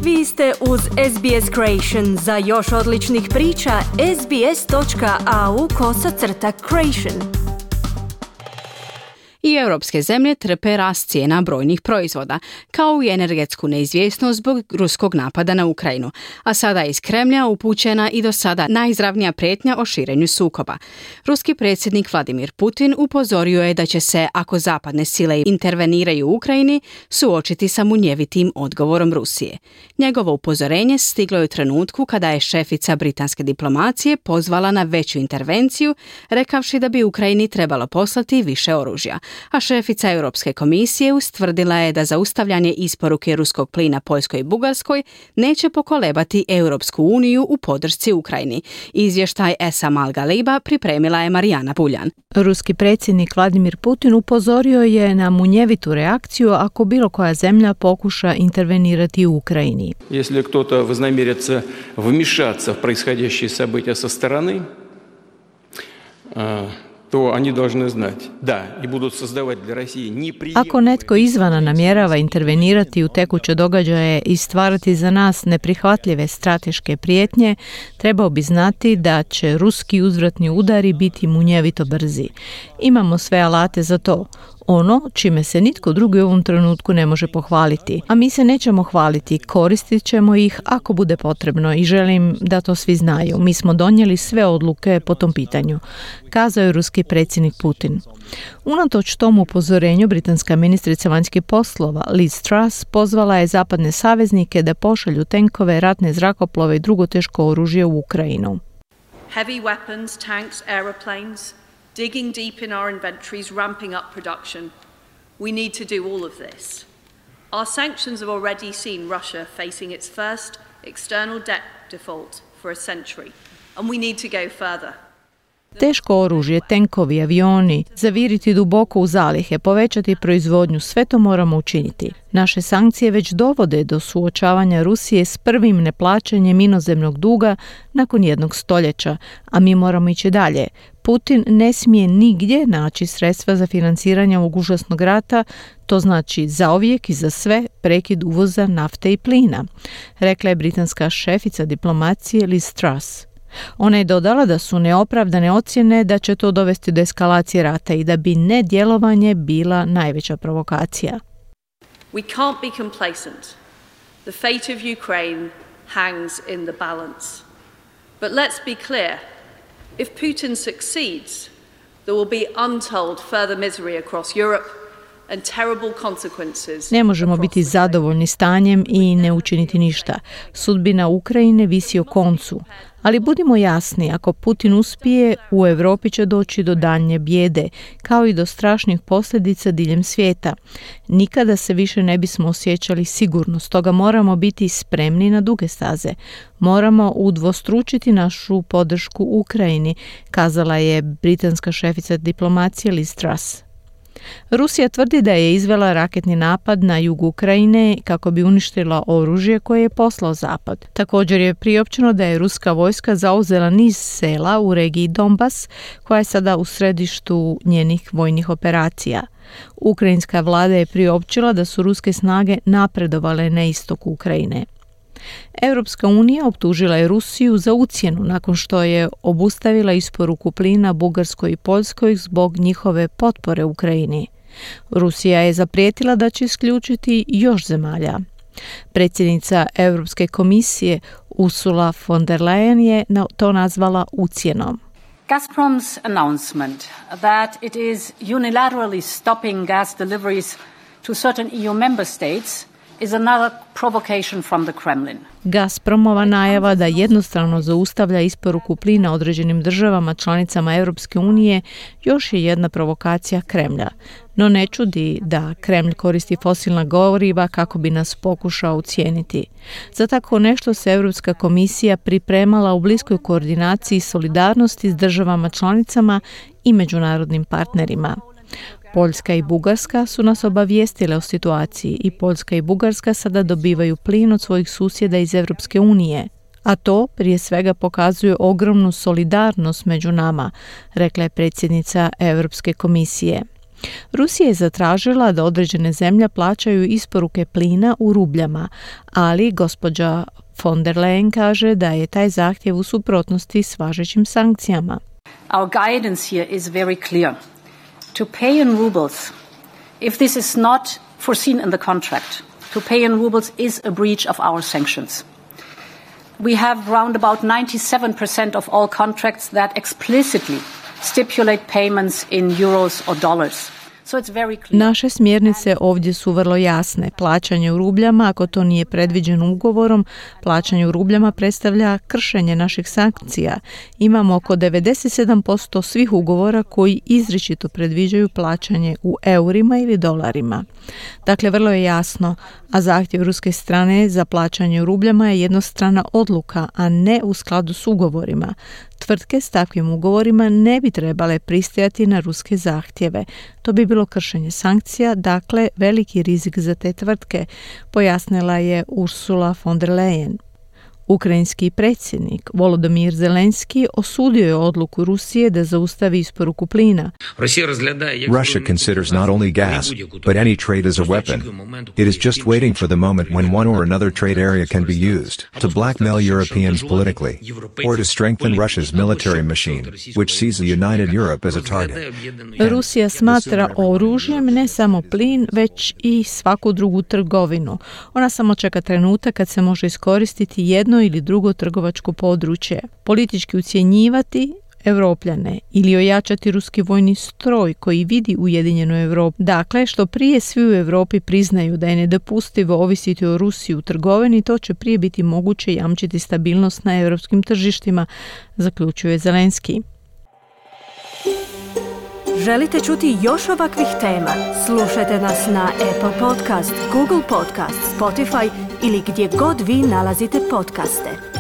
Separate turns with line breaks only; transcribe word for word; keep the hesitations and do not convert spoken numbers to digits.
Vi ste uz S B S Creation. Za još odličnih priča, sbs.au kosacrta creation.
I europske zemlje trpe rast cijena brojnih proizvoda, kao i energetsku neizvjesnost zbog ruskog napada na Ukrajinu, a sada iz Kremlja upućena i do sada najizravnija prijetnja o širenju sukoba. Ruski predsjednik Vladimir Putin upozorio je da će se, ako zapadne sile interveniraju u Ukrajini, suočiti sa munjevitim odgovorom Rusije. Njegovo upozorenje stiglo je u trenutku kada je šefica britanske diplomacije pozvala na veću intervenciju, rekavši da bi Ukrajini trebalo poslati više oružja. A šefica Europske komisije ustvrdila je da zaustavljanje isporuke ruskog plina Poljskoj i Bugarskoj neće pokolebati Europsku uniju u podršci Ukrajini. Izvještaj Esam Al-Galiba pripremila je Marijana Buljan.
Ruski predsjednik Vladimir Putin upozorio je na munjevitu reakciju ako bilo koja zemlja pokuša intervenirati u Ukrajini.
Если кто-то вознамерится вмешаться в происходящие события со стороны, to oni должны znati. Da, i budu создавать для России неприемлемые.
Ako netko izvana namjerava intervenirati u tekuće događaje i stvarati za nas neprihvatljive strateške prijetnje, trebao bi znati da će ruski uzvratni udari biti munjevito brzi. Imamo sve alate za to. Ono čime se nitko drugi u ovom trenutku ne može pohvaliti. A mi se nećemo hvaliti, koristit ćemo ih ako bude potrebno i želim da to svi znaju. Mi smo donijeli sve odluke po tom pitanju, kazao je ruski predsjednik Putin. Unatoč tomu upozorenju, britanska ministrica vanjskih poslova Liz Truss pozvala je zapadne saveznike da pošalju tenkove, ratne zrakoplove i drugo teško oružje u Ukrajinu.
Heavy weapons, tanks, aeroplanes, digging deep in our inventories, ramping up production. We need to do all of this. Our sanctions have already seen Russia facing its first external debt default for a century, and we need to go further.
Teško oružje, tenkovi, avioni, zaviriti duboko u zalihe, povećati proizvodnju, sve to moramo učiniti. Naše sankcije već dovode do suočavanja Rusije s prvim neplaćanjem inozemnog duga nakon jednog stoljeća, a mi moramo ići dalje. Putin ne smije nigdje naći sredstva za financiranje ovog užasnog rata, to znači zauvijek i za sve prekid uvoza nafte i plina, rekla je britanska šefica diplomacije Liz Truss. Ona je dodala da su neopravdane ocjene da će to dovesti do eskalacije rata i da bi nedjelovanje bila najveća provokacija.
We can't be complacent. The fate of Ukraine hangs in the balance. But let's be clear. If Putin succeeds, there will be untold further misery across Europe and terrible consequences.
Ne možemo biti zadovoljni stanjem i ne učiniti ništa. Sudbina Ukrajine visi o koncu. Ali budimo jasni, ako Putin uspije, u Europi će doći do daljnje bijede, kao i do strašnih posljedica diljem svijeta. Nikada se više ne bismo osjećali sigurno, stoga moramo biti spremni na duge staze. Moramo udvostručiti našu podršku Ukrajini, kazala je britanska šefica diplomacije Liz Truss. Rusija tvrdi da je izvela raketni napad na jugu Ukrajine kako bi uništila oružje koje je poslao Zapad. Također je priopćeno da je ruska vojska zauzela niz sela u regiji Donbas, koja je sada u središtu njenih vojnih operacija. Ukrajinska vlada je priopćila da su ruske snage napredovale na istoku Ukrajine. Europska unija optužila je Rusiju za ucjenu nakon što je obustavila isporuku plina Bugarskoj i Poljskoj zbog njihove potpore Ukrajini. Rusija je zaprijetila da će isključiti još zemalja. Predsjednica Europske komisije Ursula von der Leyen je to nazvala ucjenom.
Gazprom's announcement that it is unilaterally stopping gas deliveries to certain E U member states is another provocation from the Kremlin.
Gazpromova najava da jednostrano zaustavlja isporuku plina određenim državama članicama Europske unije još je jedna provokacija Kremlja. No ne čudi da Kremlj koristi fosilna goriva kako bi nas pokušao ucijeniti. Za tako nešto se Europska komisija pripremala u bliskoj koordinaciji i solidarnosti s državama članicama i međunarodnim partnerima. Poljska i Bugarska su nas obavijestile o situaciji i Poljska i Bugarska sada dobivaju plin od svojih susjeda iz Europske unije. A to prije svega pokazuje ogromnu solidarnost među nama, rekla je predsjednica Europske komisije. Rusija je zatražila da određene zemlje plaćaju isporuke plina u rubljama, ali gospođa von der Leyen kaže da je taj zahtjev u suprotnosti s važećim sankcijama.
Our guidance here is very clear. To pay in rubles, if this is not foreseen in the contract, to pay in rubles is a breach of our sanctions. We have round about ninety-seven percent of all contracts that explicitly stipulate payments in euros or dollars. So it's very clear.
Naše smjernice ovdje su vrlo jasne. Plaćanje u rubljama, ako to nije predviđeno ugovorom, plaćanje u rubljama predstavlja kršenje naših sankcija. Imamo oko devedeset sedam posto svih ugovora koji izričito predviđaju plaćanje u eurima ili dolarima. Dakle, vrlo je jasno, a zahtjev ruske strane za plaćanje u rubljama je jednostrana odluka, a ne u skladu s ugovorima. Tvrtke s takvim ugovorima ne bi trebale pristajati na ruske zahtjeve. To bi bilo kršenje sankcija, dakle veliki rizik za te tvrtke, pojasnila je Ursula von der Leyen. Ukrajinski predsjednik Volodymyr Zelenski osudio je odluku Rusije da zaustavi isporuku plina.
Russia considers not only gas, but any trade as a weapon. It is just waiting for the moment when one or another trade area can be used to blackmail Europeans politically, or to strengthen Russia's military machine, which sees the united Europe as a target.
Rusija smatra oružjem ne samo plin, već i svaku drugu trgovinu. Ona samo čeka trenutak kad se može iskoristiti jedno ili drugo trgovačko područje, politički ucjenjivati Evropljane ili ojačati ruski vojni stroj koji vidi ujedinjenu Europu. Dakle, što prije svi u Europi priznaju da je nedopustivo ovisiti o Rusiji u trgovini, to će prije biti moguće jamčiti stabilnost na europskim tržištima, zaključuje Zelenski.
Želite čuti još ovakvih tema? Slušajte nas na Apple Podcast, Google Podcast, Spotify ili gdje god vi nalazite podcaste.